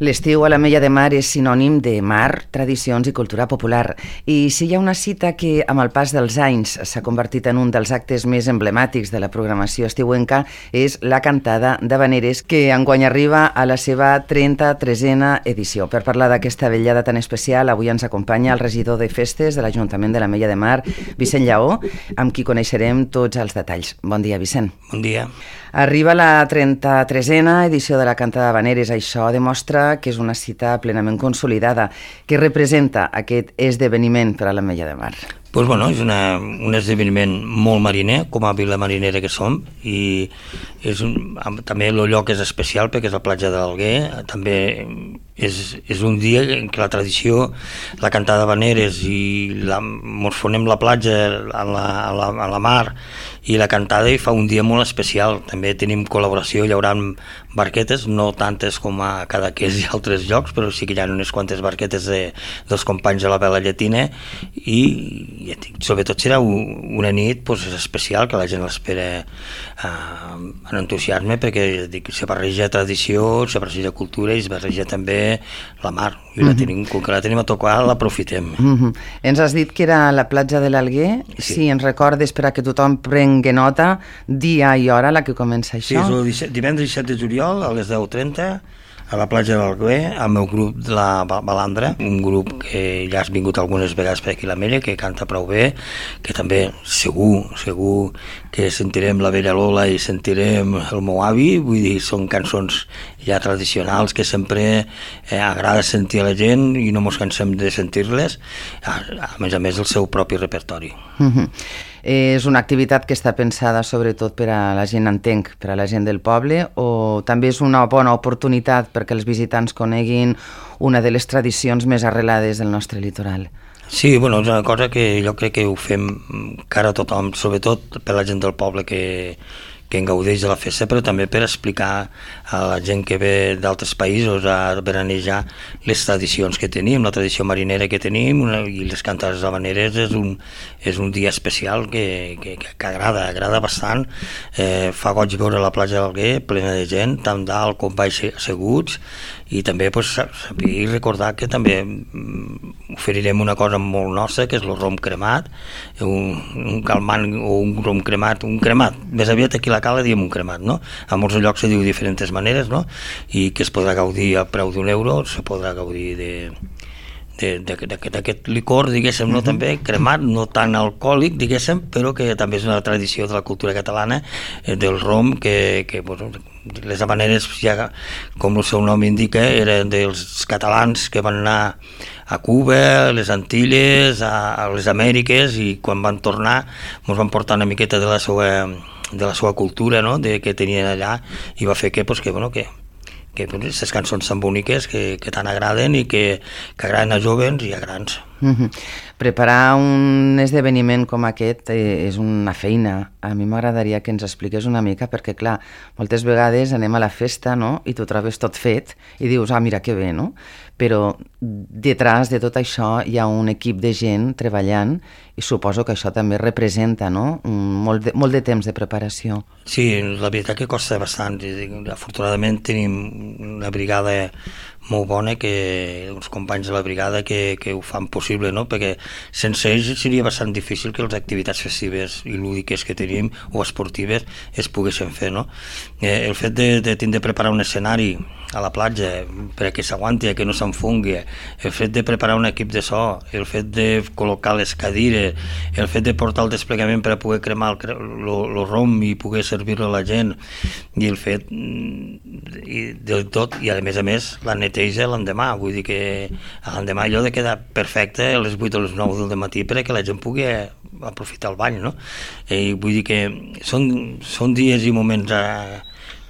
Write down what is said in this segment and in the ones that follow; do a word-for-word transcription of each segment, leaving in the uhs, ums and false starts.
L'estiu a l'Ametlla de Mar és sinònim de mar, tradicions i cultura popular. I si hi ha una cita que, amb el pas dels anys, s'ha convertit en un dels actes més emblemàtics de la programació estiuenca, és la cantada d'Havaneres, que enguany arriba a la seva trenta-tresena edició. Per parlar d'aquesta vetllada tan especial, avui ens acompanya el regidor de Festes de l'Ajuntament de l'Ametlla de Mar, Vicent Lleó, amb qui coneixerem tots els detalls. Bon dia, Vicent. Bon dia. Arriba la trenta-tresena edició de la cantada d'Havaneres. Això demostra que és una cita plenament consolidada. Què representa aquest esdeveniment per a l'Ametlla de Mar? Pues bueno, és una, un esdeveniment molt mariner, com a vila marinera que som, i és un, també el lloc és especial perquè és la platja de l'Alguer. També és, és un dia en què la tradició, la cantada d'Havaneres i la, mos fonem la platja a la, a, la, a la mar i la cantada i fa un dia molt especial. També tenim col·laboració llaurant barquetes, no tantes com a Cadaqués i altres llocs, però sí que hi ha unes quantes barquetes de, dels companys de la vela llatina i, i sobretot serà una nit pues, especial que la gent l'espera eh, amb entusiasme perquè dic, se barreja tradició, se barreja cultura i es barreja també la mar i la tenim, com que la tenim a tocar l'aprofitem. Mm-hmm. Ens has dit que era la platja de l'Alguer. Sí. Si ens recordes per a que tothom prengui nota, dia i hora la que comença això. Sí, és el divendres disset de juliol a les deu trenta a la platja de l'Alguer, al meu grup de la Balandra, un grup que ja has vingut algunes vegades per aquí a l'Ametlla, que canta prou bé, que també segur, segur que sentirem la vella Lola i sentirem el meu avi, vull dir, són cançons ja tradicionals que sempre eh, agrada sentir a la gent i no mos cansem de sentir-les, a, a més a més el seu propi repertori. Mm-hmm. És una activitat que està pensada sobretot per a la gent, entenc, per a la gent del poble, o també és una bona oportunitat perquè els visitants coneguin una de les tradicions més arrelades del nostre litoral? Sí, bueno, és una cosa que jo crec que ho fem cara a tothom, sobretot per la gent del poble que, que en gaudeix de la festa, però també per explicar a la gent que ve d'altres països a veranejar les tradicions que tenim, la tradició marinera que tenim una, i les cantades d'Havaneres és un, és un dia especial que, que, que agrada, agrada bastant. Eh, fa goig veure la platja de l'Alguer plena de gent, tant dalt com baix asseguts, i també pues, saber i recordar que també oferirem una cosa molt nostra, que és el rom cremat, un, un calmant o un rom cremat, un cremat, més aviat aquí a la Cala diem un cremat, no? A molts llocs se diu de diferents maneres, no? I que es podrà gaudir a preu d'un euro, se podrà gaudir de d'aquest licor, diguéssim, no, també cremat, no tan alcohòlic, diguéssim, però que també és una tradició de la cultura catalana, eh, del rom, que, que bueno, les Havaneres, ja, com el seu nom indica, eren dels catalans que van anar a Cuba, a les Antilles, a, a les Amèriques, i quan van tornar ens van portar una miqueta de la seva, de la seva cultura, no?, de, que tenien allà, i va fer que, pues, que, bueno, que que aquestes cançons tan boniques que, que tant agraden i que, que agraden a jovens i a grans. Mm-hmm. Preparar un esdeveniment com aquest eh, és una feina. A mi m'agradaria que ens expliqués una mica, perquè clar, moltes vegades anem a la festa, no?, i tu trobes tot fet i dius, ah, mira que bé, no? Però detrás de tot això hi ha un equip de gent treballant i suposo que això també representa, no?, molt de, molt de temps de preparació. Sí, la veritat que costa bastant. Afortunadament tenim una brigada molt bona, que uns companys de la brigada que, que ho fan possible, no? Perquè sense ells seria bastant difícil que les activitats festives i lúdiques que tenim o esportives es poguessin fer, no? Eh, el fet de, de tindre de preparar un escenari a la platja perquè s'aguanti, que no s'enfongui, el fet de preparar un equip de so, el fet de col·locar les cadires, el fet de portar el desplegament per a poder cremar el, el, el rom i poder servir-lo a la gent, i el fet i del tot, i a més a més la neteja l'endemà, vull dir que l'endemà allò de quedar perfecte a les vuit o les nou del matí perquè la gent pugui aprofitar el bany, no? I vull dir que són, són dies i moments a,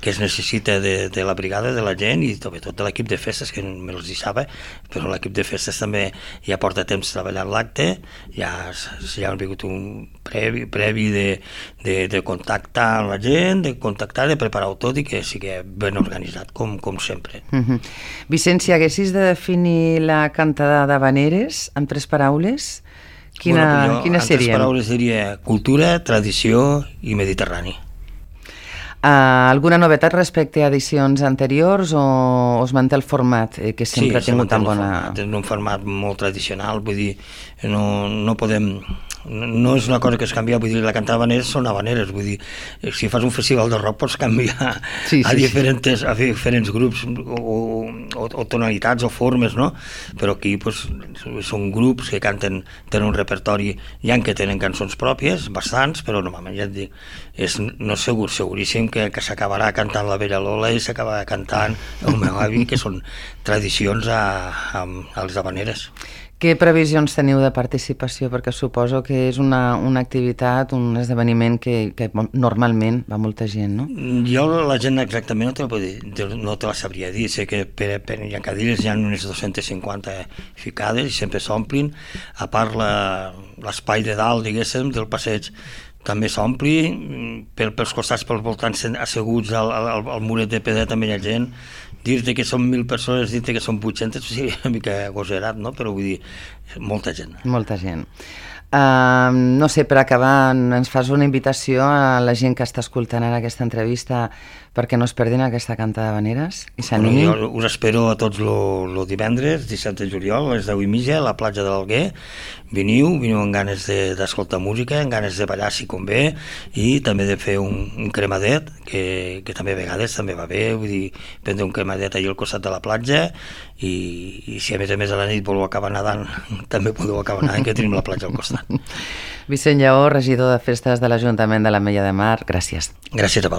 que es necessita de, de la brigada, de la gent i sobretot de l'equip de festes, que me'ls hi sabe, però l'equip de festes també ja porta temps treballant l'acte, ja, ja ha vingut un previ, previ de, de, de contactar amb la gent, de contactar, de preparar-ho tot i que sigui ben organitzat, com, com sempre. Mm-hmm. Vicent, si haguessis de definir la cantada d'Havaneres en tres paraules, quina, bueno, jo, quina serien? En serien? tres paraules diria cultura, tradició i mediterrani. Uh, alguna novetat respecte a edicions anteriors o, o es manté el format eh, que sempre sí, ha tingut tan bona... Format, és un format molt tradicional, vull dir, no, no podem... No és una cosa que es canvia, vull dir, la cantar habaneres són habaneres, vull dir, si fas un festival de rock pots canviar sí, sí, a, diferents, a diferents grups o, o, o tonalitats o formes, no? Però aquí pues, són grups que canten, tenen un repertori, hi ha que tenen cançons pròpies, bastants, però normalment ja et dic, és, no és segur, seguríssim que, que s'acabarà cantant la Vella Lola i s'acabarà cantant el meu avi, que són tradicions a, a, a les habaneres. Què previsions teniu de participació? Perquè suposo que és una, una activitat, un esdeveniment que, que normalment va molta gent, no? Jo la gent exactament no te la, puc dir, no te la sabria dir. Sé que per, per hi ha cadires, hi ha unes dues-centes cinquanta ficades i sempre s'omplin. A part l'espai de dalt, diguéssim, del passeig, també s'ompli, per, pels costats, pels voltants asseguts al, al, al muret de pedra també hi ha gent. Dir-te que són mil persones, dir-te que són vuit-centes, sí, una mica agosarat, no? Però vull dir, molta gent. Molta gent. Uh, no sé, per acabar, ens fas una invitació a la gent que està escoltant ara aquesta entrevista perquè no es perdin aquesta canta d'habaneres i s'animin. Bueno, jo us espero a tots el divendres, disset de juliol, a les deu i mitja, a la platja de l'Alguer. Veniu, veniu amb ganes d'escoltar de, música, amb ganes de ballar si convé, i també de fer un, un cremadet, que, que també a vegades també va bé, vull dir, prendre un cremadet allà al costat de la platja, i, i si a més a més a la nit voleu acabar nedant, també podeu acabar nedant, que tenim la platja al costat. Vicent Lleó, regidor de Festes de l'Ajuntament de l'Ametlla de Mar, gràcies. Gràcies a vosaltres.